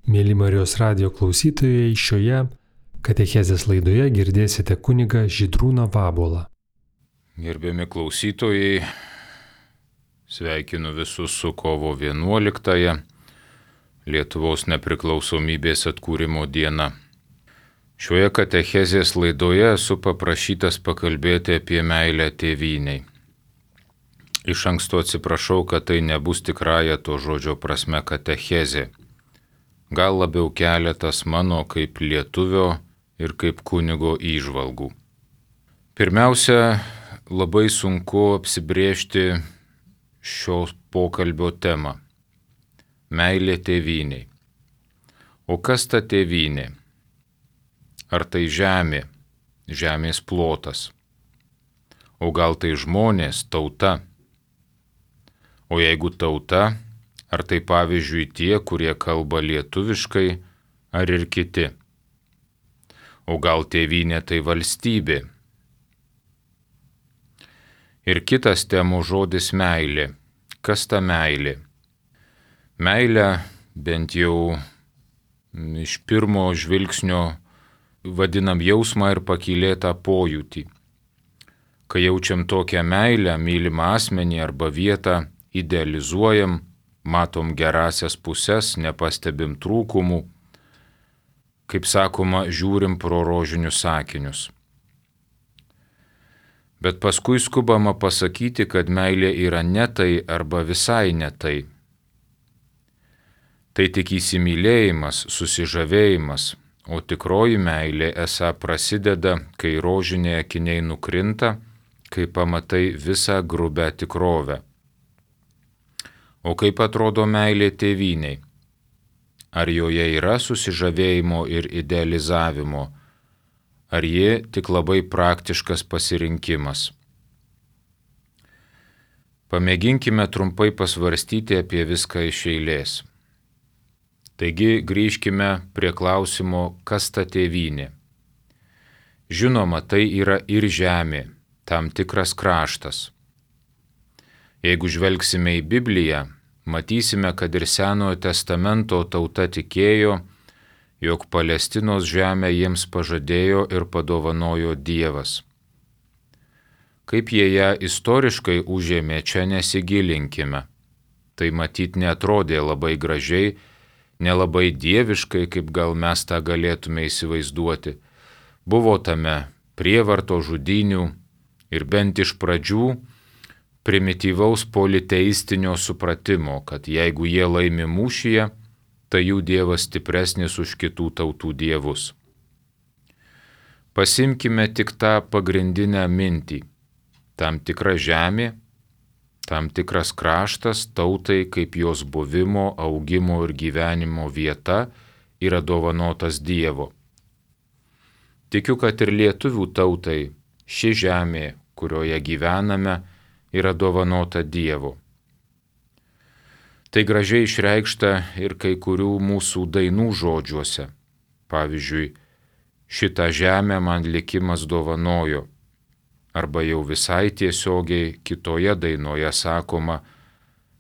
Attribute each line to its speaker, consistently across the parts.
Speaker 1: Mėly Marijos radijo klausytojai, šioje katechezės laidoje girdėsite kunigą Žydrūną Vabolą.
Speaker 2: Gerbiami klausytojai, sveikinu visus su kovo 11-ąją, Lietuvos nepriklausomybės atkūrimo diena. Šioje katechezės laidoje esu paprašytas pakalbėti apie meilę tėvynei. Iš anksto atsiprašau, kad tai nebus tikrąja to žodžio prasme katechezė. Gal labiau keletas mano kaip lietuvio ir kaip kunigo įžvalgų. Pirmiausia, labai sunku apsibrėžti šio pokalbio temą – meilė tėvynei. O kas ta tėvynė? Ar tai žemė, žemės plotas? O gal tai žmonės, tauta? O jeigu tauta, ar tai pavyzdžiui tie, kurie kalba lietuviškai, ar ir kiti? O gal tėvynė tai valstybė? Ir kitas temų žodis meilė. Kas ta meilė? Meilę, bent jau iš pirmo žvilgsnio, vadinam jausmą ir pakylėtą pojūtį. Kai jaučiam tokią meilę, mylimą asmenį arba vietą, idealizuojam, matom gerasias puses, nepastebim trūkumų, kaip sakoma, žiūrim pro rožinius akinius. Bet paskui skubama pasakyti, kad meilė yra ne tai arba visai ne tai. Tai tik įsimylėjimas, susižavėjimas, o tikroji meilė esą prasideda, kai rožiniai akiniai nukrinta, kai pamatai visą grubę tikrovę. O kaip atrodo meilė tėvynei? Ar joje yra susižavėjimo ir idealizavimo? Ar ji tik labai praktiškas pasirinkimas? Pamėginkime trumpai pasvarstyti apie viską iš eilės. Taigi grįžkime prie klausimo, kas ta tėvynė. Žinoma, tai yra ir žemė, tam tikras kraštas. Jeigu žvelgsime į Bibliją, matysime, kad ir Senojo testamento tauta tikėjo, jog Palestinos žemę jiems pažadėjo ir padovanojo Dievas. Kaip jie ją istoriškai užėmė, čia nesigilinkime. Tai matyt neatrodė labai gražiai, nelabai dieviškai, kaip gal mes tą galėtume įsivaizduoti. Buvo tame prievarto žudynių ir bent iš pradžių primityvaus politeistinio supratimo, kad jeigu jie laimi mūšyje, tai jų dievas stipresnis už kitų tautų dievus. Pasimkime tik tą pagrindinę mintį. Tam tikra žemė, tam tikras kraštas tautai kaip jos buvimo, augimo ir gyvenimo vieta yra dovanotas Dievo. Tikiu, kad ir lietuvių tautai ši žemė, kurioje gyvename, yra dovanota Dievo. Tai gražiai išreikšta ir kai kurių mūsų dainų žodžiuose. Pavyzdžiui, šitą žemę man likimas dovanojo. Arba jau visai tiesiogiai kitoje dainoje sakoma,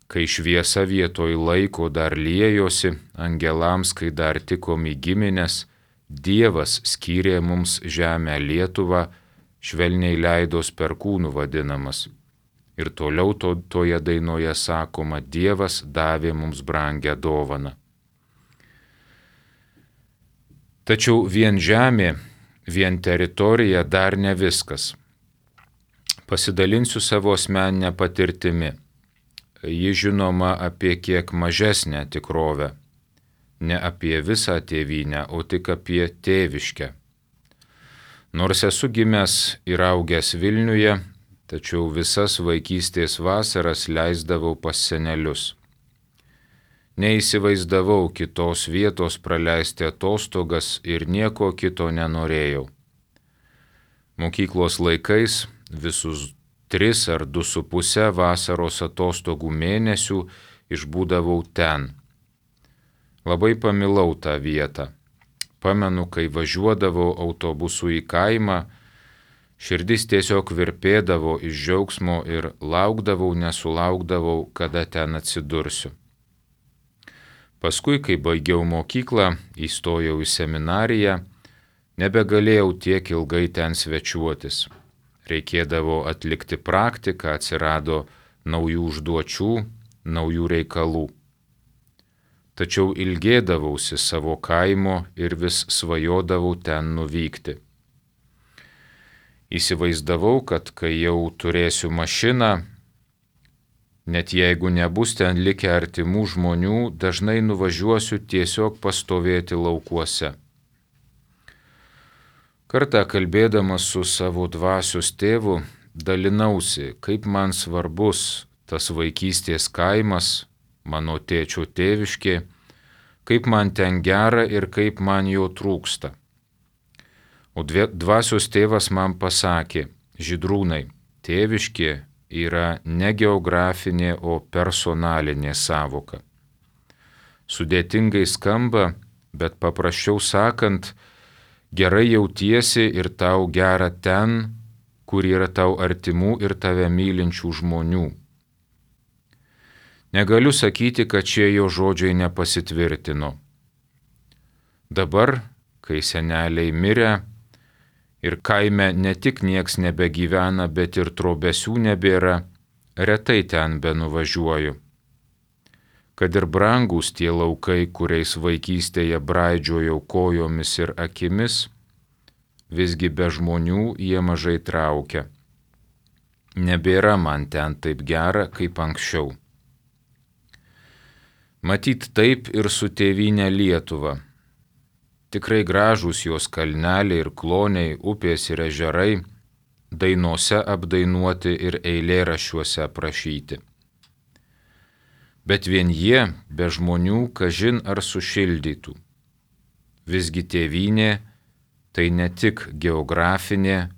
Speaker 2: kai šviesa vietoj laiko dar liejosi, angelams, kai dar tikom į giminės, Dievas skyrė mums žemę Lietuvą, švelniai leidos perkūnų vadinamas. Ir toliau toje dainoje sakoma, Dievas davė mums brangią dovaną. Tačiau vien žemė, vien teritorija dar ne viskas. Pasidalinsiu savo asmeninę patirtimi. Ji žinoma apie kiek mažesnę tikrovę. Ne apie visą tėvynę, o tik apie tėviškę. Nors esu gimęs ir augęs Vilniuje, tačiau visas vaikystės vasaras leisdavau pas senelius. Neįsivaizdavau kitos vietos praleisti atostogas ir nieko kito nenorėjau. Mokyklos laikais visus 3 ar 2,5 vasaros atostogų mėnesių išbūdavau ten. Labai pamilau tą vietą. Pamenu, kai važiuodavau autobusu į kaimą, širdis tiesiog virpėdavo iš džiaugsmo ir laukdavau, nesulaukdavau, kada ten atsidursiu. Paskui, kai baigiau mokyklą, įstojau į seminariją, nebegalėjau tiek ilgai ten svečiuotis. Reikėdavo atlikti praktiką, atsirado naujų užduočių, naujų reikalų. Tačiau ilgėdavausi savo kaimo ir vis svajodavau ten nuvykti. Įsivaizdavau, kad kai jau turėsiu mašiną, net jeigu nebus ten likę artimų žmonių, dažnai nuvažiuosiu tiesiog pastovėti laukuose. Kartą kalbėdamas su savo dvasios tėvu, dalinausi, kaip man svarbus tas vaikystės kaimas, mano tėčio tėviškė, kaip man ten gera ir kaip man jo trūksta. O dvasios tėvas man pasakė: Žydrūnai, tėviškė yra ne geografinė, o personalinė sąvoka. Sudėtingai skamba, bet paprasčiau sakant, gerai jautiesi ir tau gera ten, kur yra tau artimų ir tave mylinčių žmonių. Negaliu sakyti, kad šie jo žodžiai nepasitvirtino. Dabar, kai seneliai mirė ir kaime ne tik nieks nebegyvena, bet ir trobesių nebėra, retai ten benuvažiuoju. Kad ir brangūs tie laukai, kuriais vaikystėje braidžiojau kojomis ir akimis, visgi be žmonių jie mažai traukia. Nebėra man ten taip gera, kaip anksčiau. Matyt taip ir su tėvyne Lietuva. Tikrai gražūs jos kalneliai ir kloniai, upės ir ežerai, dainose apdainuoti ir eilėraščiuose aprašyti. Bet vien jie be žmonių kažin ar sušildytų. Visgi tėvynė tai ne tik geografinė,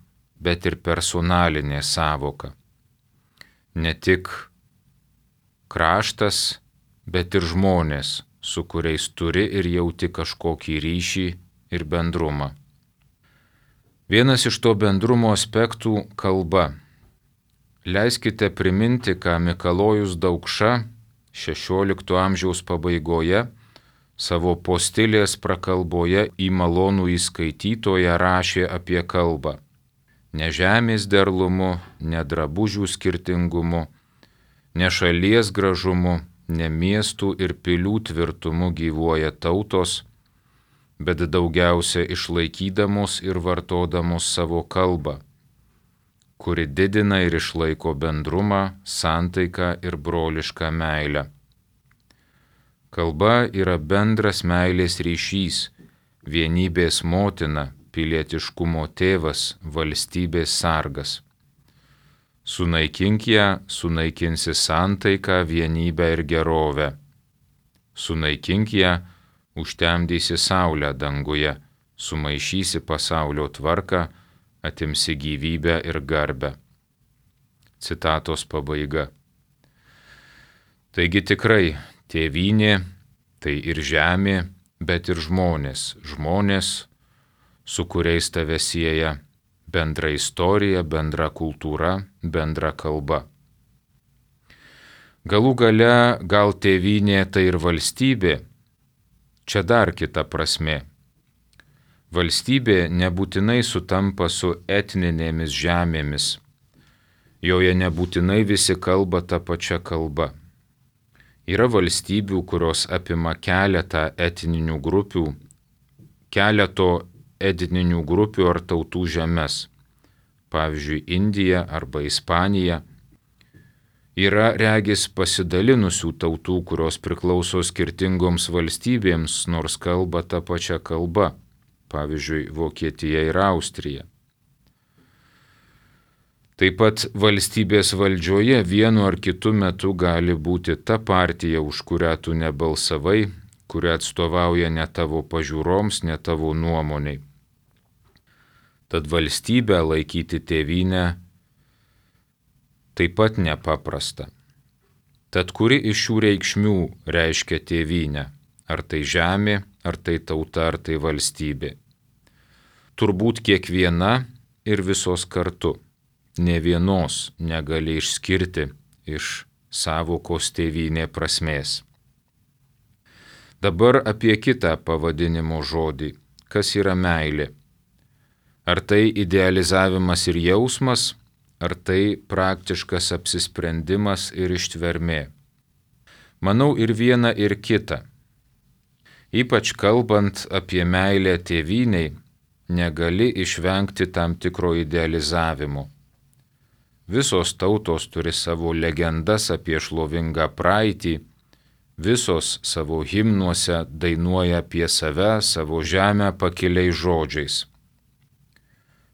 Speaker 2: bet ir personalinė sąvoka. Ne tik kraštas, bet ir žmonės, su kuriais turi ir jauti kažkokį ryšį ir bendrumą. Vienas iš to bendrumo aspektų – kalba. Leiskite priminti, ką Mikalojus Daukša XVI amžiaus pabaigoje savo postilės prakalboje į malonų įskaitytoją rašė apie kalbą. Ne žemės derlumu, ne drabužių skirtingumu, ne šalies gražumu, ne miestų ir pilių tvirtumu gyvuoja tautos, bet daugiausia išlaikydamos ir vartodamos savo kalbą, kuri didina ir išlaiko bendrumą, santaiką ir brolišką meilę. Kalba yra bendras meilės ryšys, vienybės motina, pilietiškumo tėvas, valstybės sargas. Sunaikink ją, sunaikinsi santaiką, vienybę ir gerovę. Sunaikink ją, užtemdysi saulę danguje, sumaišysi pasaulio tvarką, atimsi gyvybę ir garbę. Citatos pabaiga. Taigi tikrai, tėvynė tai ir žemė, bet ir žmonės, su kuriais tave sieja bendra istorija, bendra kultūra, bendra kalba. Galų gale gal tėvynė tai ir valstybė, čia dar kita prasmė. Valstybė nebūtinai sutampa su etninėmis žemėmis, joje nebūtinai visi kalba tą pačią kalbą. Yra valstybių, kurios apima keleto etninių grupių ar tautų žemes, pavyzdžiui, Indija arba Ispanija. Yra regis pasidalinusių tautų, kurios priklauso skirtingoms valstybėms, nors kalba tą pačią kalbą, pavyzdžiui, Vokietija ir Austrija. Taip pat valstybės valdžioje vienu ar kitu metu gali būti ta partija, už kurią tu nebalsavai, kuri atstovauja ne tavo pažiūroms, ne tavo nuomoniai. Tad valstybę laikyti tėvynę taip pat nepaprasta. Tad kuri iš šių reikšmių reiškia tėvynę? Ar tai žemė, ar tai tauta, ar tai valstybė? Turbūt kiekviena ir visos kartu. Ne vienos negali išskirti iš sąvokos tėvynė prasmės. Dabar apie kitą pavadinimo žodį. Kas yra meilė? Ar tai idealizavimas ir jausmas, ar tai praktiškas apsisprendimas ir ištvermė? Manau, ir viena, ir kita. Ypač kalbant apie meilę tėvynei, negali išvengti tam tikro idealizavimo. Visos tautos turi savo legendas apie šlovingą praeitį, visos savo himnuose dainuoja apie save, savo žemę pakiliais žodžiais.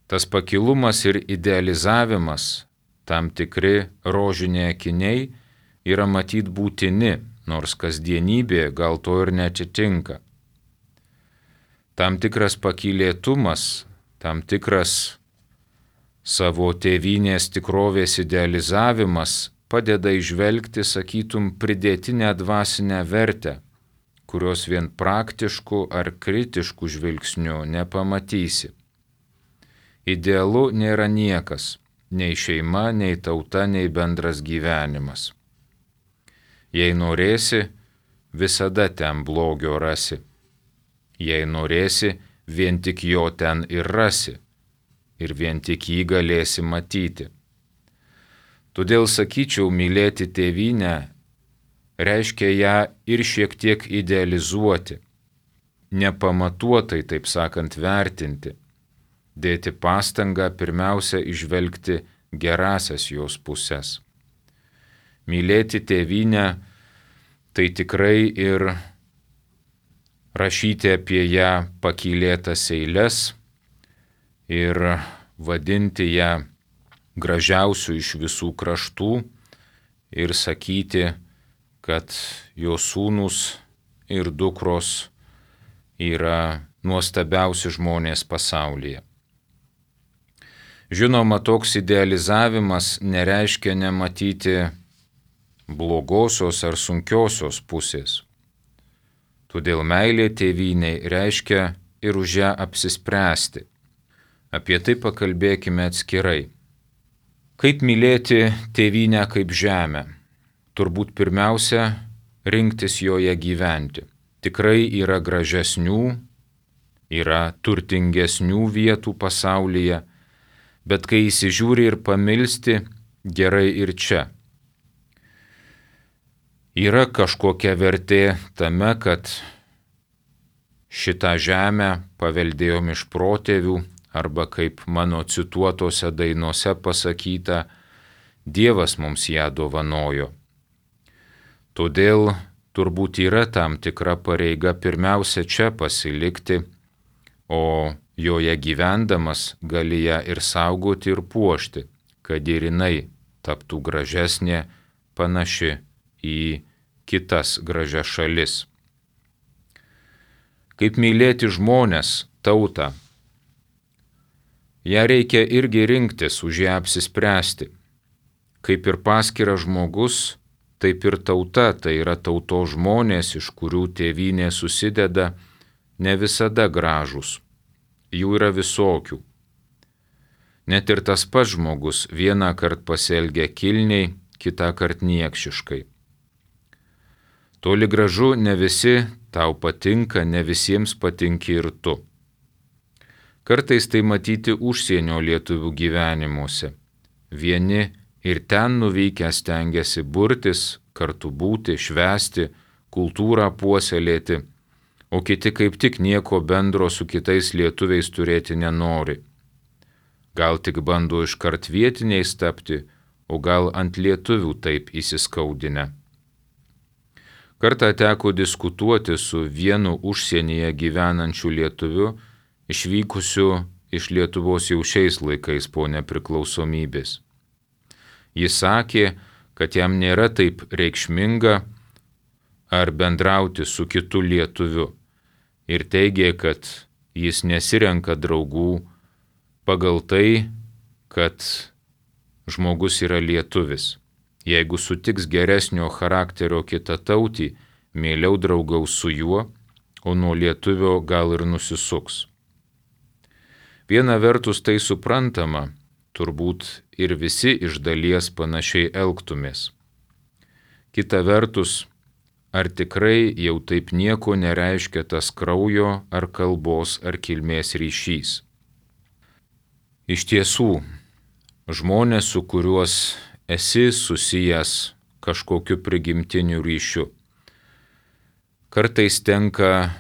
Speaker 2: Tas pakilumas ir idealizavimas, tam tikri rožiniai akiniai, yra matyt būtini, nors kasdienybė gal to ir neatitinka. Tam tikras pakylėtumas, tam tikras savo tėvynės tikrovės idealizavimas padeda įžvelgti, sakytum, pridėtinę dvasinę vertę, kurios vien praktiškų ar kritiškų žvilgsnių nepamatysi. Idealu nėra niekas, nei šeima, nei tauta, nei bendras gyvenimas. Jei norėsi, visada ten blogio rasi. Jei norėsi, vien tik jo ten ir rasi, ir vien tik jį galėsi matyti. Todėl sakyčiau, mylėti tėvynę reiškia ją ir šiek tiek idealizuoti, nepamatuotai, taip sakant, vertinti, dėti pastangą pirmiausia įžvelgti gerasias jos puses. Mylėti tėvynę tai tikrai ir rašyti apie ją pakylėtas eiles ir vadinti ją gražiausių iš visų kraštų ir sakyti, kad jo sūnus ir dukros yra nuostabiausi žmonės pasaulyje. Žinoma, toks idealizavimas nereiškia nematyti blogosios ar sunkiosios pusės. Todėl meilė tėvynei reiškia ir už ją apsispręsti. Apie tai pakalbėkime atskirai. Kaip mylėti tėvynę kaip žemę? Turbūt pirmiausia, rinktis joje gyventi. Tikrai yra gražesnių, yra turtingesnių vietų pasaulyje, bet kai įsižiūri ir pamilsti, gerai ir čia. Yra kažkokia vertė tame, kad šitą žemę paveldėjom iš protėvių, arba kaip mano cituotose dainose pasakyta, Dievas mums ją dovanojo. Todėl turbūt yra tam tikra pareiga pirmiausia čia pasilikti, o joje gyvendamas gali ją ir saugoti ir puošti, kad ir jinai taptų gražesnė, panaši į kitas gražias šalis. Kaip mylėti žmones, tautą? Ją reikia irgi rinktis, už ją apsispręsti. Kaip ir paskiras žmogus, taip ir tauta, tai yra tautos žmonės, iš kurių tėvynė susideda, ne visada gražūs. Jų yra visokių. Net ir tas pats žmogus vieną kartą pasielgia kilniai, kitą kartą niekšiškai. Toli gražu ne visi tau patinka, ne visiems patinki ir tu. Kartais tai matyti užsienio lietuvių gyvenimuose. Vieni ir ten nuvykę stengiasi burtis, kartu būti, švęsti, kultūrą puoselėti, o kiti kaip tik nieko bendro su kitais lietuviais turėti nenori. Gal tik bando iškart vietiniais tapti, o gal ant lietuvių taip įsiskaudinę. Kartą teko diskutuoti su vienu užsienyje gyvenančiu lietuviu, išvykusiu iš Lietuvos jau šiais laikais po nepriklausomybės. Jis sakė, kad jam nėra taip reikšminga ar bendrauti su kitu lietuviu ir teigė, kad jis nesirenka draugų pagal tai, kad žmogus yra lietuvis. Jeigu sutiks geresnio charakterio kitatautį, mieliau draugaus su juo, o nuo lietuvio gal ir nusisuks. Viena vertus tai suprantama, turbūt ir visi iš dalies panašiai elgtumės. Kita vertus, ar tikrai jau taip nieko nereiškia tas kraujo ar kalbos ar kilmės ryšys. Iš tiesų, žmonės, su kuriuos esi susijęs kažkokiu prigimtiniu ryšiu, kartais tenka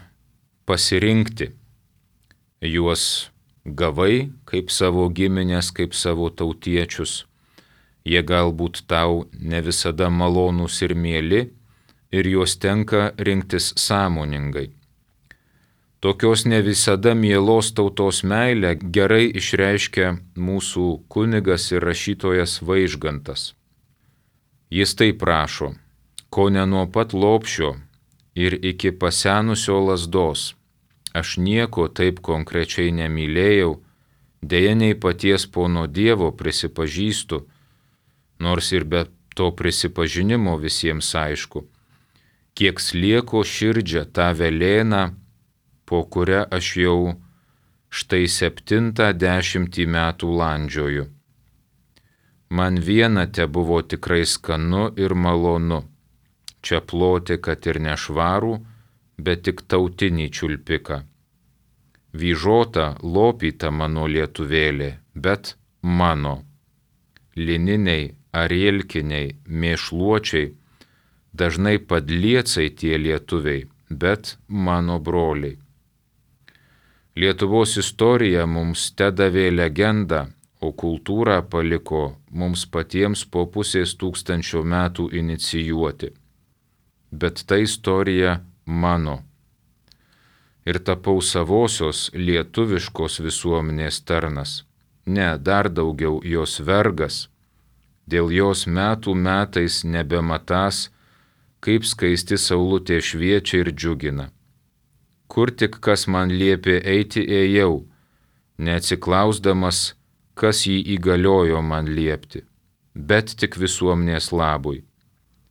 Speaker 2: pasirinkti. Juos gavai kaip savo giminės, kaip savo tautiečius. Jie galbūt tau ne visada malonūs ir mieli, ir juos tenka rinktis sąmoningai. Tokios ne visada mielos tautos meilę gerai išreiškia mūsų kunigas ir rašytojas Vaižgantas. Jis taip rašo: ko ne nuo pat lopšio ir iki pasenusio lazdos aš nieko taip konkrečiai nemylėjau, deja nei paties pono Dievo prisipažįstu, nors ir be to prisipažinimo visiems aišku, kiek slieko širdžia tą velėną, po kurią aš jau štai 70 metų landžioju. Man viena tebuvo tikrai skanu ir malonu, čia ploti, kad ir nešvarų, bet tik tautinį čiulpiką. Vyžota lopyta mano lietuvėlė, bet mano. Lininiai, arielkiniai, mėšluočiai, dažnai padliecai tie lietuviai, bet mano broliai. Lietuvos istorija mums tedavė legendą, o kultūrą paliko mums patiems po pusės tūkstančio metų inicijuoti. Bet ta istorija mano. Ir tapau savosios lietuviškos visuomenės tarnas. Ne, dar daugiau jos vergas. Dėl jos metų metais nebematąs, kaip skaisti saulutė šviečia ir džiugina. Kur tik kas man liepė eiti, ėjau, neatsiklausdamas, kas jį įgaliojo man liepti, bet tik visuomenės labui.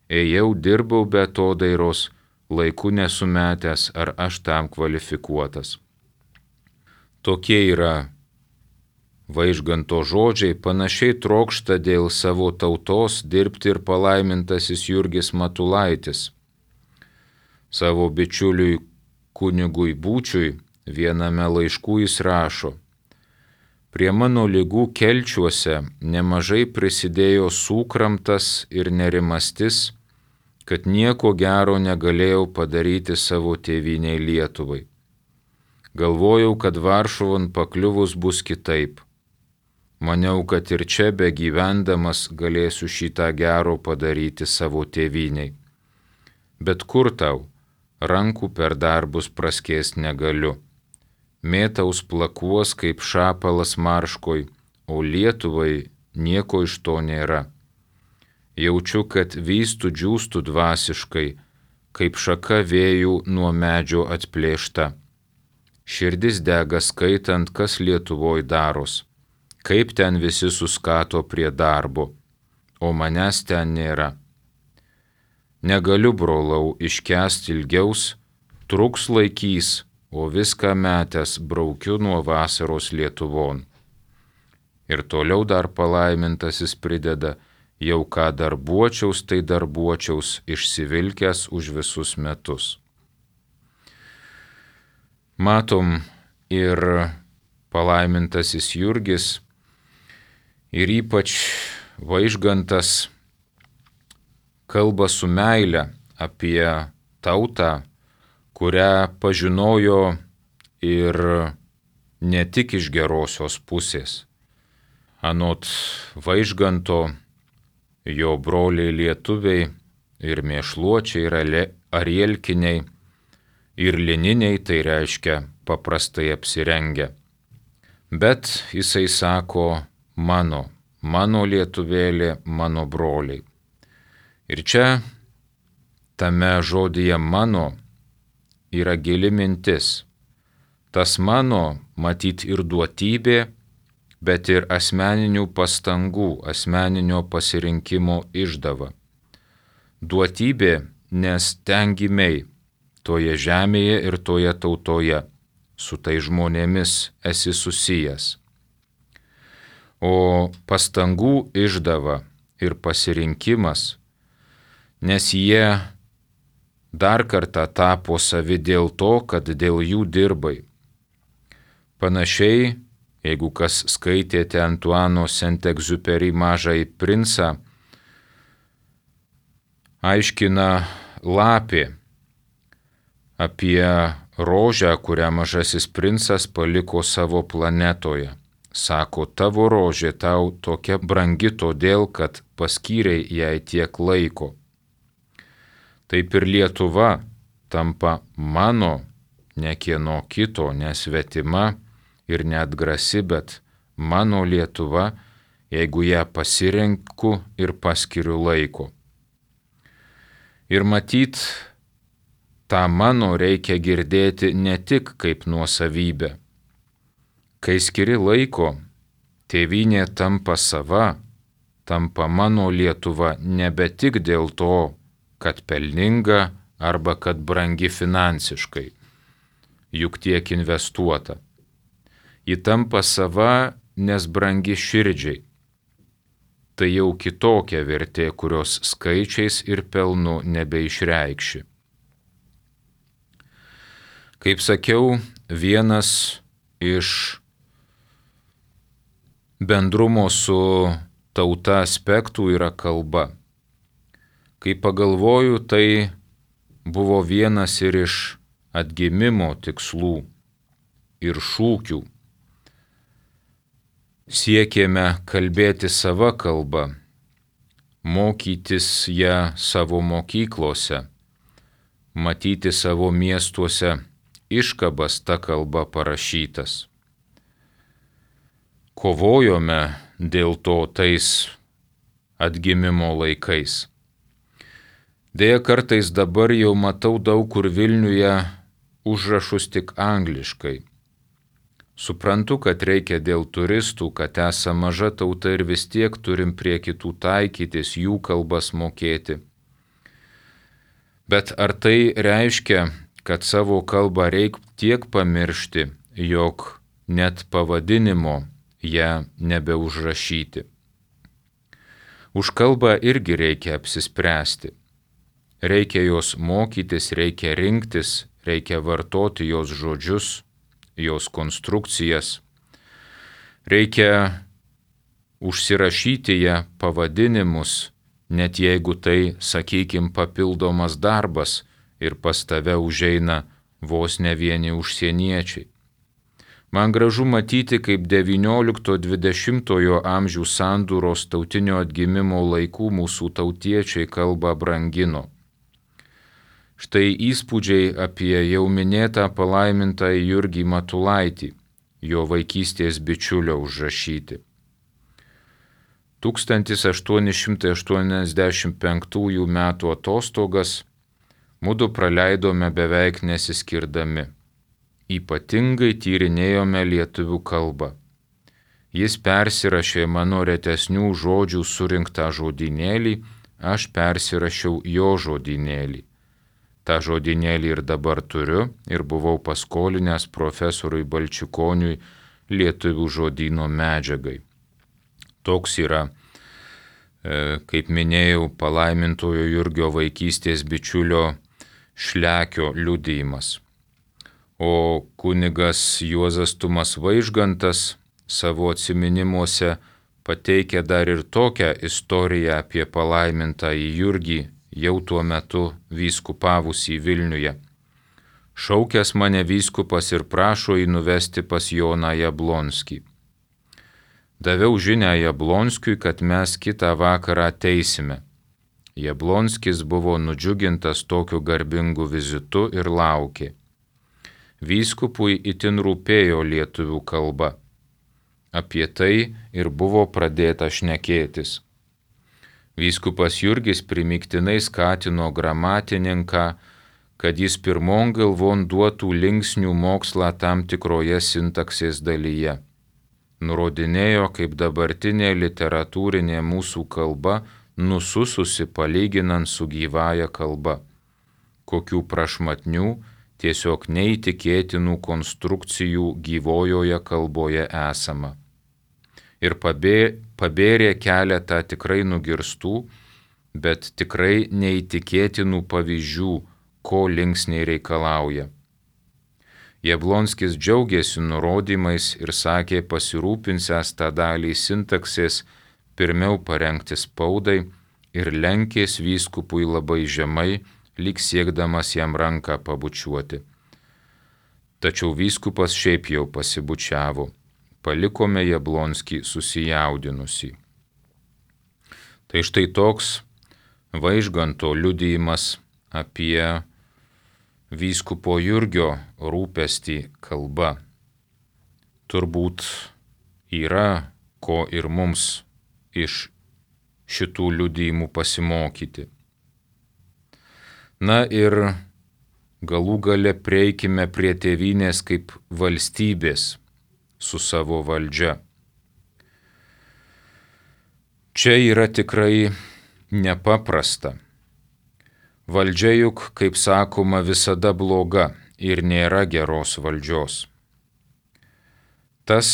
Speaker 2: Ėjau, dirbau be atodairos, laiku nesumetęs, ar aš tam kvalifikuotas. Tokie yra Vaižganto žodžiai, panašiai trokšta dėl savo tautos dirbti ir palaimintasis Jurgis Matulaitis. Savo bičiuliui kunigui Būčiui viename laiškų jis rašo: prie mano ligų kelčiuose nemažai prisidėjo sūkramtas ir nerimastis, kad nieko gero negalėjau padaryti savo tėvynei Lietuvai. Galvojau, kad Varšuvon pakliuvus bus kitaip. Maniau, kad ir čia begyvendamas galėsiu šitą gero padaryti savo tėvyniai. Bet kur tau, rankų per darbus praskėst negaliu. Mėtaus plakuos kaip šapalas marškoj, o Lietuvai nieko iš to nėra. Jaučiu, kad vystu džiūstu dvasiškai, kaip šaka vėjų nuo medžio atplėšta. Širdis dega skaitant, kas Lietuvoj daros, kaip ten visi suskato prie darbo, o manęs ten nėra. Negaliu, brolau, iškęsti ilgiaus, truks laikys, o viską metęs braukiu nuo vasaros Lietuvon. Ir toliau dar palaimintasis prideda: jau ką darbuočiaus, tai darbuočiaus, išsivilkęs už visus metus. Matom, ir palaimintasis Jurgis, ir ypač Vaižgantas kalba su meile apie tautą, kurią pažinojo ir ne tik iš gerosios pusės. Anot Vaižganto, jo broliai lietuviai ir mėšluočiai ir arielkiniai ir lininiai, tai reiškia paprastai apsirengę. Bet jisai sako mano lietuvėlė, mano broliai. Ir čia tame žodyje mano yra gili mintis. Tas mano matyt ir duotybė, bet ir asmeninių pastangų, asmeninio pasirinkimo išdava. Duotybė, nes ten gimei, toje žemėje ir toje tautoje, su tai žmonėmis esi susijęs. O pastangų išdava ir pasirinkimas, nes jie dar kartą tapo savi dėl to, kad dėl jų dirbai. Panašiai, jeigu kas skaitėte Antuano Saint-Exupéry Mažąjį princą, aiškina lapė apie rožę, kurią mažasis princas paliko savo planetoje. Sako, tavo rožė tau tokia brangi todėl, kad paskyrei jai tiek laiko. Taip ir Lietuva tampa mano, ne kieno kito, nesvetima ir neatgrasi, bet mano Lietuva, jeigu ją pasirenku ir paskiriu laiko. Ir matyt, tą mano reikia girdėti ne tik kaip nuosavybę. Kai skiri laiko, tėvynė tampa sava, tampa mano Lietuva nebe tik dėl to, kad pelninga arba kad brangi finansiškai, juk tiek investuota. Ji tampa sava, nes brangi širdžiai. Tai jau kitokia vertė, kurios skaičiais ir pelnu nebeišreikši. Kaip sakiau, vienas iš bendrumo su tauta aspektų yra kalba. Kai pagalvoju, tai buvo vienas ir iš atgimimo tikslų ir šūkių. Siekėme kalbėti sava kalba, mokytis ją savo mokyklose, matyti savo miestuose iškabas ta kalba parašytas. Kovojome dėl to tais atgimimo laikais. Deja, kartais dabar jau matau daug kur Vilniuje užrašus tik angliškai. Suprantu, kad reikia dėl turistų, kad esame maža tauta ir vis tiek turim prie kitų taikytis, jų kalbas mokėti. Bet ar tai reiškia, kad savo kalbą reikia tiek pamiršti, jog net pavadinimo ją nebeužrašyti? Už kalbą irgi reikia apsispręsti. Reikia jos mokytis, reikia rinktis, reikia vartoti jos žodžius, jos konstrukcijas. Reikia užsirašyti ją pavadinimus, net jeigu tai, sakykim, papildomas darbas ir pas tave užeina vos ne vieni užsieniečiai. Man gražu matyti, kaip 19–20 amžių sandūros tautinio atgimimo laikų mūsų tautiečiai kalbą brangino. Štai įspūdžiai apie jau minėtą palaimintą Jurgį Matulaitį, jo vaikystės bičiulio užrašyti. 1885 metų atostogas mudu praleidome beveik nesiskirdami. Ypatingai tyrinėjome lietuvių kalbą. Jis persirašė mano retesnių žodžių surinktą žodynėlį, aš persirašiau jo žodynėlį. Ta žodynėlį ir dabar turiu ir buvau paskolinęs profesoriui Balčikoniui lietuvių žodyno medžiagai. Toks yra, kaip minėjau, palaimintojo Jurgio vaikystės bičiulio Šlekio liudijimas. O kunigas Juozas Tumas Vaižgantas savo atsiminimuose pateikia dar ir tokią istoriją apie palaimintąjį Jurgį, jau tuo metu vyskupavusį Vilniuje. Šaukęs mane vyskupas ir prašo jį nuvesti pas Joną Jablonskį. Daviau žinią Jablonskiui, kad mes kitą vakarą ateisime. Jablonskis buvo nudžiugintas tokiu garbingu vizitu ir laukė. Vyskupui itin rūpėjo lietuvių kalba. Apie tai ir buvo pradėta šnekėtis. Vyskupas Jurgis primygtinai skatino gramatininką, kad jis pirmon galvon duotų linksnių mokslą tam tikroje sintaksės dalyje. Nurodinėjo, kaip dabartinė literatūrinė mūsų kalba nusususi palyginant su gyvąja kalba. Kokių prašmatnių, tiesiog neįtikėtinų konstrukcijų gyvojoje kalboje esama. Ir pabėrė keletą tikrai nugirstų, bet tikrai neįtikėtinų pavyzdžių, ko linksniai reikalauja. Jablonskis džiaugiasi nurodymais ir sakė pasirūpinsęs tą dalį sintaksės pirmiau parengti spaudai ir lenkės vyskupui labai žemai, lyg siekdamas jam ranką pabučiuoti. Tačiau vyskupas šiaip jau pasibučiavo. Palikome Jablonskį susijaudinusį. Tai štai toks Vaižganto liudijimas apie vyskupo Jurgio rūpestį kalba. Turbūt yra ko ir mums iš šitų liudijimų pasimokyti. Na ir galų gale prieikime prie tėvynės kaip valstybės su savo valdžia. Čia yra tikrai nepaprasta. Valdžia juk, kaip sakoma, visada bloga ir nėra geros valdžios. Tas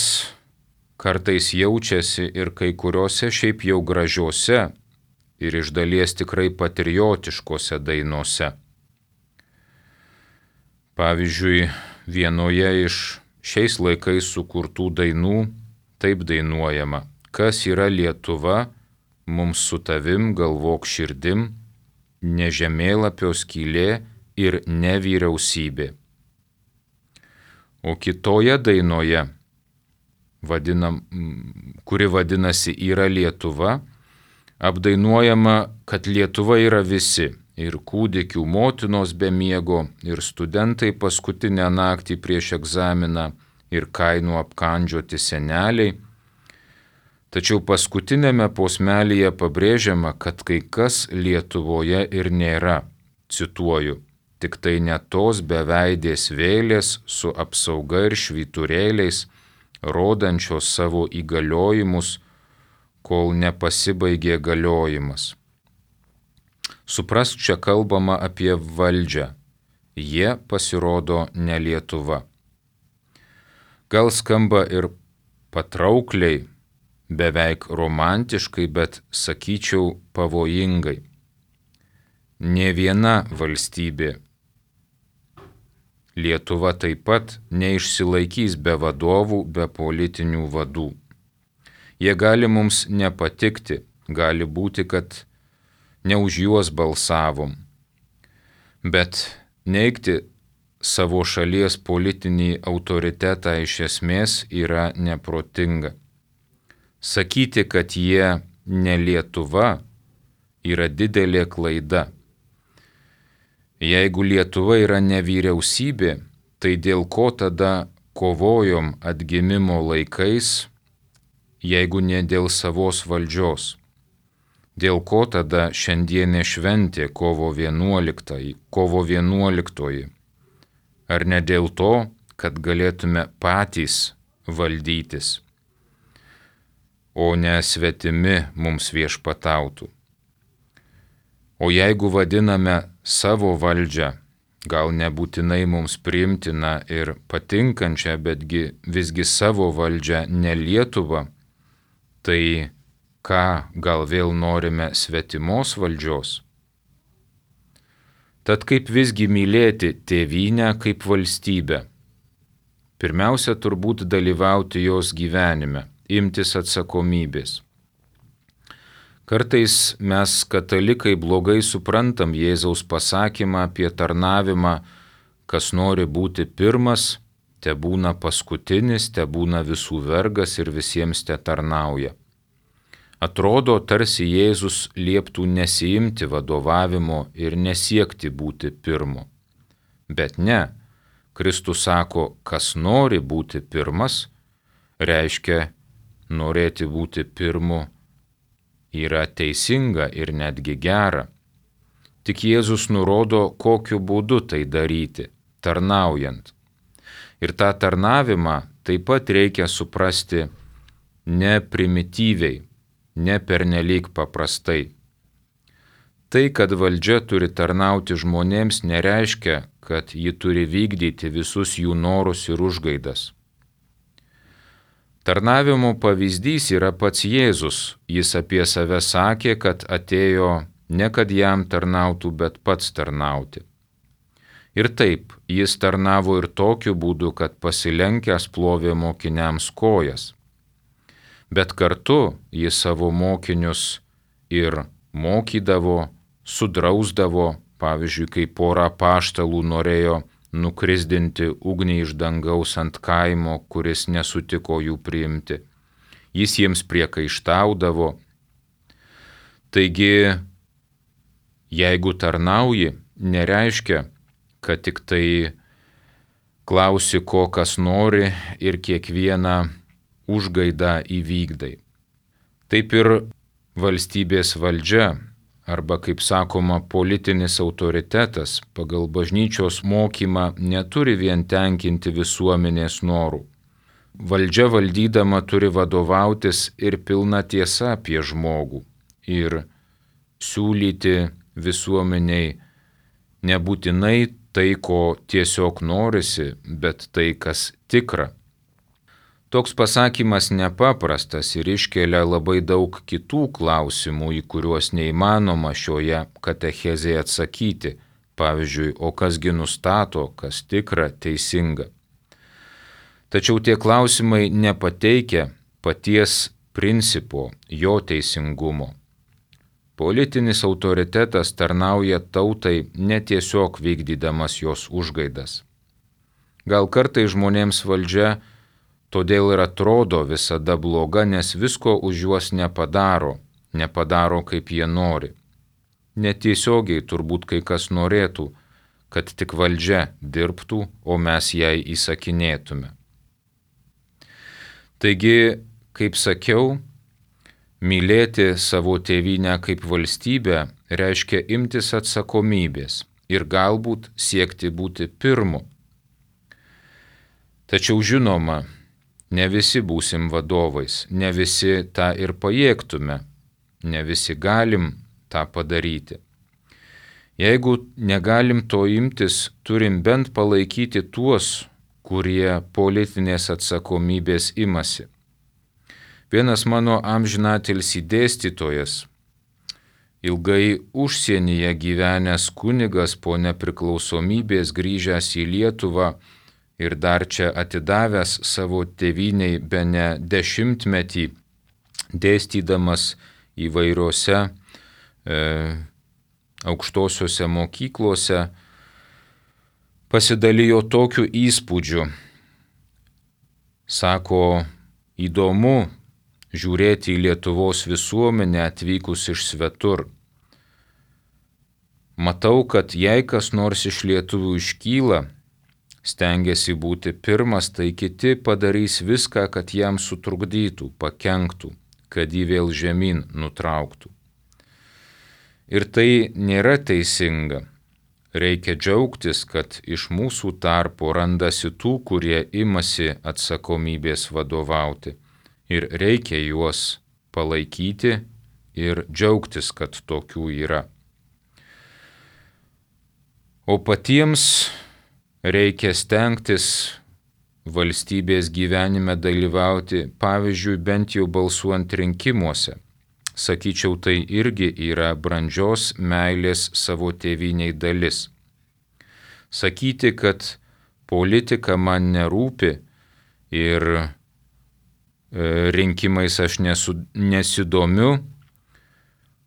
Speaker 2: kartais jaučiasi ir kai kuriuose šiaip jau gražiuose ir iš dalies tikrai patriotiškose dainose. Pavyzdžiui, vienoje iš šiais laikais sukurtų dainų taip dainuojama: kas yra Lietuva, mums su tavim galvok širdim, ne žemėlapio skylė ir ne vyriausybė. O kitoje dainoje, kuri vadinasi Yra Lietuva, apdainuojama, kad Lietuva yra visi – ir kūdikių motinos be miego, ir studentai paskutinę naktį prieš egzaminą, ir kainų apkandžioti seneliai. Tačiau paskutinėme posmelyje pabrėžiama, kad kai kas Lietuvoje ir nėra, cituoju, tik tai ne tos beveidės vėlės su apsauga ir švyturėliais, rodančios savo įgaliojimus, kol nepasibaigė galiojimas. Suprask, čia kalbama apie valdžią. Jie pasirodo ne Lietuva. Gal skamba ir patraukliai, beveik romantiškai, bet sakyčiau pavojingai. Nė viena valstybė, Lietuva taip pat, neišsilaikys be vadovų, be politinių vadų. Jie gali mums nepatikti, gali būti, kad ne už juos balsavom, bet neigti savo šalies politinį autoritetą iš esmės yra neprotinga. Sakyti, kad jie ne Lietuva, yra didelė klaida. Jeigu Lietuva yra ne vyriausybė, tai dėl ko tada kovojom atgimimo laikais, jeigu ne dėl savos valdžios? Dėl ko tada šiandienė šventė kovo 11? Ar ne dėl to, kad galėtume patys valdytis, o ne svetimi mums viešpatautų? O jeigu vadiname savo valdžią, gal nebūtinai mums priimtina ir patinkančią, betgi visgi savo valdžią ne Lietuvą, tai ką, gal vėl norime svetimos valdžios? Tad kaip visgi mylėti tėvynę kaip valstybę? Pirmiausia, turbūt dalyvauti jos gyvenime, imtis atsakomybės. Kartais mes, katalikai, blogai suprantam Jėzaus pasakymą apie tarnavimą, kas nori būti pirmas, tebūna paskutinis, tebūna visų vergas ir visiems tetarnauja. Atrodo, tarsi Jėzus lieptų nesiimti vadovavimo ir nesiekti būti pirmu. Bet ne, Kristus sako, kas nori būti pirmas, reiškia norėti būti pirmu yra teisinga ir netgi gera. Tik Jėzus nurodo, kokiu būdu tai daryti, tarnaujant. Ir tą tarnavimą taip pat reikia suprasti ne primityviai, ne pernelyg paprastai. Tai, kad valdžia turi tarnauti žmonėms, nereiškia, kad ji turi vykdyti visus jų norus ir užgaidas. Tarnavimo pavyzdys yra pats Jėzus. Jis apie save sakė, kad atėjo ne kad jam tarnautų, bet pats tarnauti. Ir taip, jis tarnavo ir tokiu būdu, kad pasilenkęs plovė mokiniams kojas. Bet kartu jis savo mokinius ir mokydavo, sudrausdavo, pavyzdžiui, kai pora apaštalų norėjo nukrisdinti ugnį iš dangaus ant kaimo, kuris nesutiko jų priimti. Jis jiems priekaištaudavo. Taigi, jeigu tarnauji, nereiškia, kad tik tai klausi, ko kas nori ir kiekvieną užgaidą įvykdai. Taip ir valstybės valdžia, arba, kaip sakoma, politinis autoritetas pagal bažnyčios mokymą neturi vien tenkinti visuomenės norų. Valdžia valdydama turi vadovautis ir pilna tiesa apie žmogų ir siūlyti visuomeniai nebūtinai tai, ko tiesiog norisi, bet tai, kas tikra. Toks pasakymas nepaprastas ir iškelia labai daug kitų klausimų, į kuriuos neįmanoma šioje katechezėje atsakyti. Pavyzdžiui, o kasgi nustato, kas tikra, teisinga. Tačiau tie klausimai nepateikia paties principo, jo teisingumo. Politinis autoritetas tarnauja tautai netiesiog vykdydamas jos užgaidas. Gal kartai žmonėms valdžia todėl ir atrodo visada bloga, nes visko už juos nepadaro kaip jie nori. Netiesiogiai turbūt kai kas norėtų, kad tik valdžia dirbtų, o mes jai įsakinėtume. Taigi, kaip sakiau, mylėti savo tėvynę kaip valstybę reiškia imtis atsakomybės ir galbūt siekti būti pirmu. Tačiau žinoma, ne visi būsim vadovais, ne visi tą ir pajėgtume, ne visi galim tą padaryti. Jeigu negalim to imtis, turim bent palaikyti tuos, kurie politinės atsakomybės imasi. Vienas mano amžinatilsį dėstytojas, ilgai užsienyje gyvenęs kunigas, po nepriklausomybės grįžęs į Lietuvą ir dar čia atidavęs savo tėvyniai bene 10 metį, dėstydamas įvairiose aukštosiuose mokyklose, pasidalijo tokiu įspūdžiu. Sako, įdomu žiūrėti į Lietuvos visuomenę atvykus iš svetur. Matau, kad jei kas nors iš lietuvių iškyla, stengiasi būti pirmas, tai kiti padarys viską, kad jam sutrukdytų, pakenktų, kad jį vėl žemyn nutrauktų. Ir tai nėra teisinga. Reikia džiaugtis, kad iš mūsų tarpo randasi tų, kurie imasi atsakomybės vadovauti. Ir reikia juos palaikyti ir džiaugtis, kad tokių yra. O patiems reikia stengtis valstybės gyvenime dalyvauti, pavyzdžiui, bent jau balsuojant rinkimuose. Sakyčiau, tai irgi yra brandžios meilės savo tėvyniai dalis. Sakyti, kad politika man nerūpi ir rinkimais aš nesidomiu,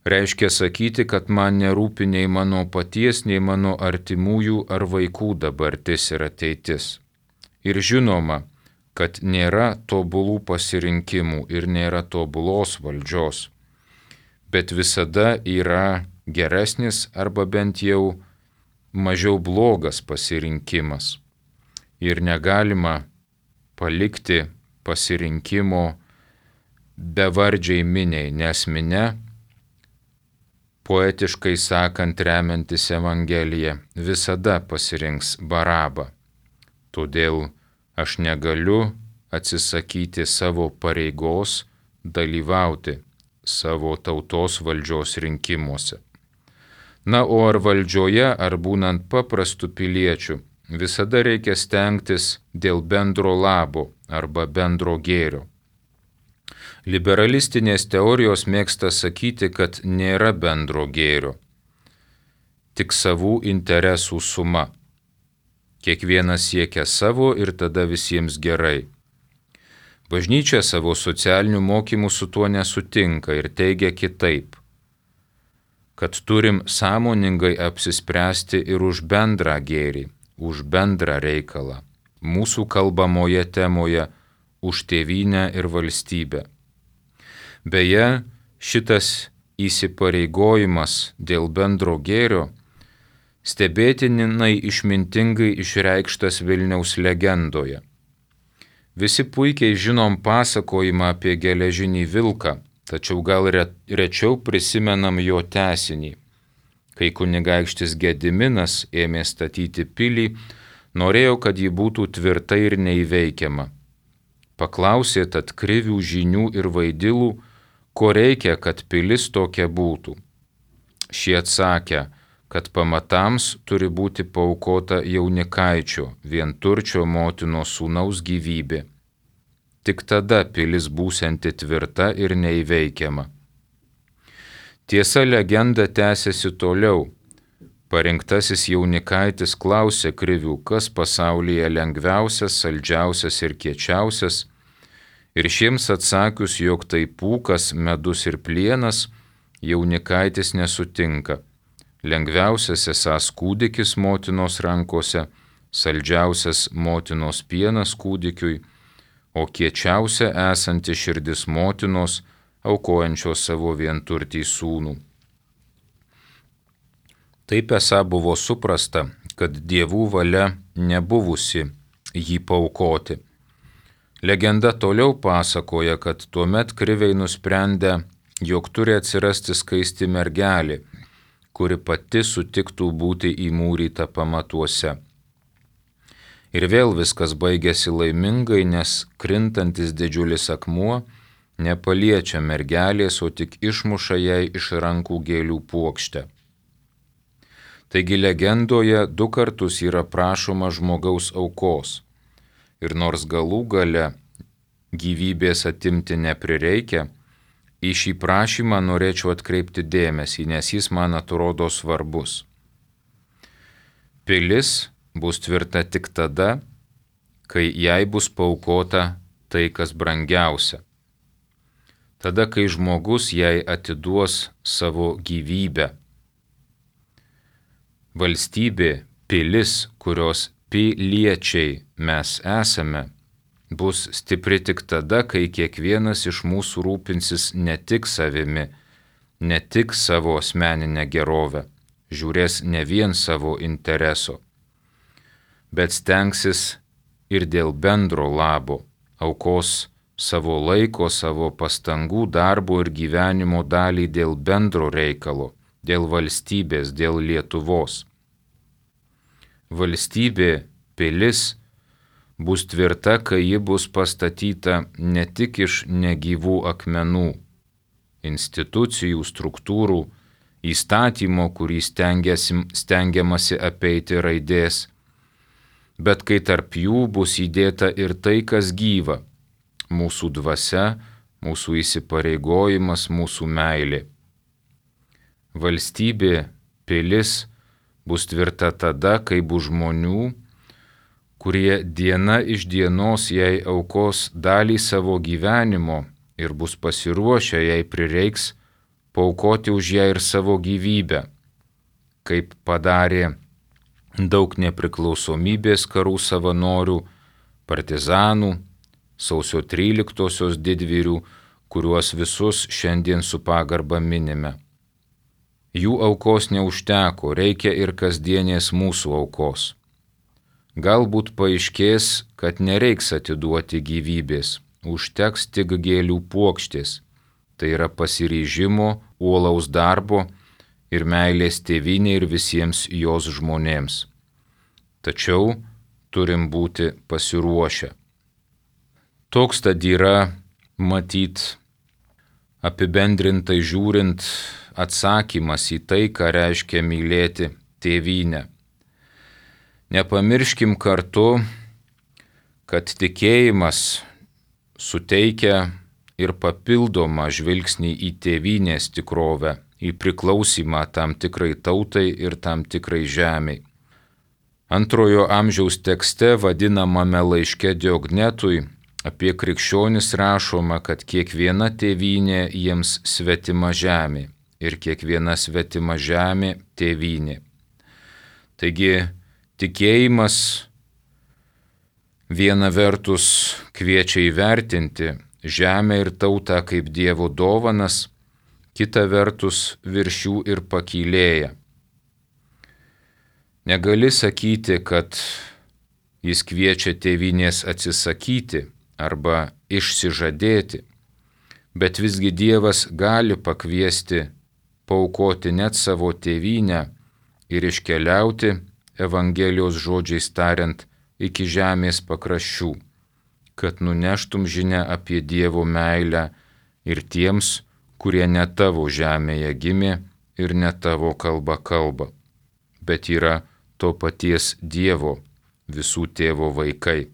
Speaker 2: reiškia sakyti, kad man nerūpi nei mano paties, nei mano artimųjų ar vaikų dabartis ir ateitis. Ir žinoma, kad nėra tobulų pasirinkimų ir nėra tobulos valdžios, bet visada yra geresnis arba bent jau mažiau blogas pasirinkimas. Ir negalima palikti pasirinkimo bevardžiai miniai, nes minia, poetiškai sakant, remiantis Evangeliją, visada pasirinks Barabą. Todėl aš negaliu atsisakyti savo pareigos dalyvauti savo tautos valdžios rinkimuose. Na, o ar valdžioje, ar būnant paprastu piliečiu, visada reikia stengtis dėl bendro labo arba bendro gėrio. Liberalistinės teorijos mėgsta sakyti, kad nėra bendro gėrio, tik savų interesų suma. Kiekvienas siekia savo ir tada visiems gerai. Bažnyčia savo socialinių mokymų su tuo nesutinka ir teigia kitaip, kad turim sąmoningai apsispręsti ir už bendrą gėrį, už bendrą reikalą, mūsų kalbamoje temoje už tėvynę ir valstybę. Beje, šitas įsipareigojimas dėl bendro gėrio stebėtinai išmintingai išreikštas Vilniaus legendoje. Visi puikiai žinom pasakojimą apie geležinį vilką, tačiau gal rečiau prisimenam jo tęsinį. Kai kunigaikštis Gediminas ėmė statyti pilį, norėjo, kad ji būtų tvirta ir neįveikiama. Paklausė tad Krivių, Žynių ir Vaidilų, ko reikia, kad pilis tokia būtų. Šie atsakė, kad pamatams turi būti paaukota jaunikaičio, vienturčio motinos sūnaus gyvybė. Tik tada pilis būsianti tvirta ir neįveikiama. Tiesa, legenda tęsiasi toliau. Parinktasis jaunikaitis klausė Krivių, kas pasaulyje lengviausias, saldžiausias ir kiečiausias, ir šiems atsakius, jog tai pūkas, medus ir plienas, jaunikaitis nesutinka. Lengviausias esąs kūdikis motinos rankose, saldžiausias motinos pienas kūdikiui, o kiečiausia esanti širdis motinos, aukojančios savo vienturtį sūnų. Taip esą buvo suprasta, kad dievų valia nebuvusi jį paaukoti. Legenda toliau pasakoja, kad tuomet Kriviai nusprendė, jog turi atsirasti skaisti mergelė, kuri pati sutiktų būti įmūryta pamatuose. Ir vėl viskas baigėsi laimingai, nes krintantis didžiulis akmuo nepaliečia mergelės, o tik išmuša jai iš rankų gėlių puokštę. Taigi legendoje 2 kartus yra prašoma žmogaus aukos. Ir nors galų gale gyvybės atimti neprireikia, į šį prašymą norėčiau atkreipti dėmesį, nes jis man atrodo svarbus. Pilis bus tvirta tik tada, kai jai bus paaukota tai, kas brangiausia. Tada, kai žmogus jai atiduos savo gyvybę. Valstybė, pilis, kurios piliečiai mes esame, bus stipri tik tada, kai kiekvienas iš mūsų rūpinsis ne tik savimi, ne tik savo asmeninę gerovę, žiūrės ne vien savo intereso, bet stengsis ir dėl bendro labo, aukos savo laiko, savo pastangų, darbo ir gyvenimo dalį dėl bendro reikalo, dėl valstybės, dėl Lietuvos. Valstybė, pilis, bus tvirta, kai ji bus pastatyta ne tik iš negyvų akmenų, institucijų, struktūrų, įstatymo, kurį stengiamasi apeiti raidės, bet kai tarp jų bus įdėta ir tai, kas gyva, mūsų dvasia, mūsų įsipareigojimas, mūsų meilė. Valstybė, pilis bus tvirta tada, kai bus žmonių, kurie diena iš dienos jai aukos dalį savo gyvenimo ir bus pasiruošę, jei prireiks, paaukoti už ją ir savo gyvybę, kaip padarė daug nepriklausomybės karų savanorių, partizanų, sausio 13-osios didvyrių, kuriuos visus šiandien su pagarba minime. Jų aukos neužteko, reikia ir kasdienės mūsų aukos. Galbūt paaiškės, kad nereiks atiduoti gyvybės, užteks tik gėlių puokštės, tai yra pasiryžimo, uolaus darbo ir meilės tėvynei ir visiems jos žmonėms. Tačiau turim būti pasiruošę. Toks tad yra, matyt, apibendrintai žiūrint, atsakymas į tai, ką reiškia mylėti tėvynę. Nepamirškim kartu, kad tikėjimas suteikia ir papildomą žvilgsnį į tėvynės tikrovę, į priklausimą tam tikrai tautai ir tam tikrai žemei. Antrojo amžiaus tekste vadinamame laiške Diognetui apie krikščionis rašoma, kad kiekviena tėvynė jiems svetima žemė ir kiekviena svetima žemė tėvynė. Taigi tikėjimas viena vertus kviečia įvertinti žemę ir tautą kaip Dievo dovanas, kita vertus virš jų ir pakylėja. Negali sakyti, kad jis kviečia tėvynės atsisakyti arba išsižadėti, bet visgi Dievas gali pakviesti paaukoti net savo tėvynę ir iškeliauti, Evangelijos žodžiais tariant, iki žemės pakraščių, kad nuneštum žinią apie Dievo meilę ir tiems, kurie ne tavo žemėje gimė ir ne tavo kalba kalba, bet yra to paties Dievo, visų tėvo vaikai.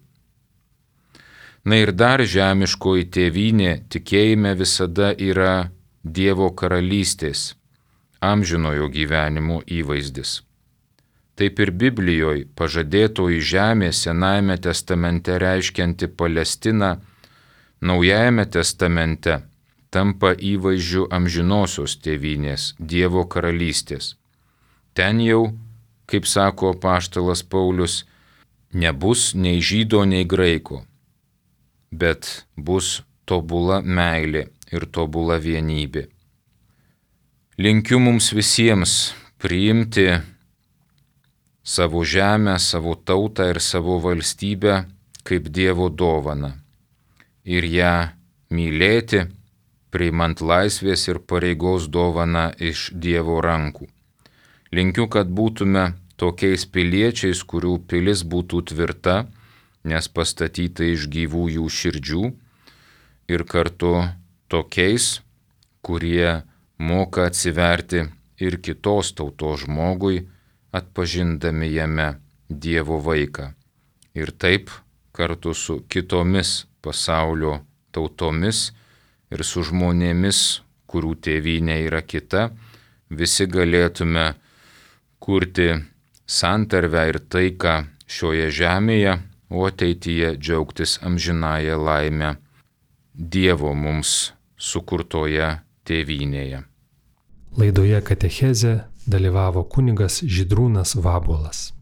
Speaker 2: Na ir dar žemiškoji tėvynė tikėjime visada yra Dievo karalystės, amžinojo gyvenimo įvaizdis. Taip ir Biblijoje pažadėtoji žemė Senajame testamente reiškianti Palestiną, Naujajame testamente tampa įvaizdžiu amžinosios tėvynės, Dievo karalystės. Ten jau, kaip sako apaštalas Paulius, nebus nei žydo, nei graiko, bet bus tobula meilė ir tobula vienybė. Linkiu mums visiems priimti savo žemę, savo tautą ir savo valstybę kaip Dievo dovaną ir ją mylėti, priimant laisvės ir pareigos dovaną iš Dievo rankų. Linkiu, kad būtume tokiais piliečiais, kurių pilis būtų tvirta, nes pastatyta iš gyvųjų širdžių, ir kartu tokiais, kurie moka atsiverti ir kitos tautos žmogui, atpažindami jame Dievo vaiką. Ir taip kartu su kitomis pasaulio tautomis ir su žmonėmis, kurių tėvynė yra kita, visi galėtume kurti santarvę ir taiką šioje žemėje, o ateityje džiaugtis amžinąją laimę Dievo mums sukurtoje tėvynėje.
Speaker 1: Laidoje Katechezė dalyvavo kunigas Žydrūnas Vabuolas.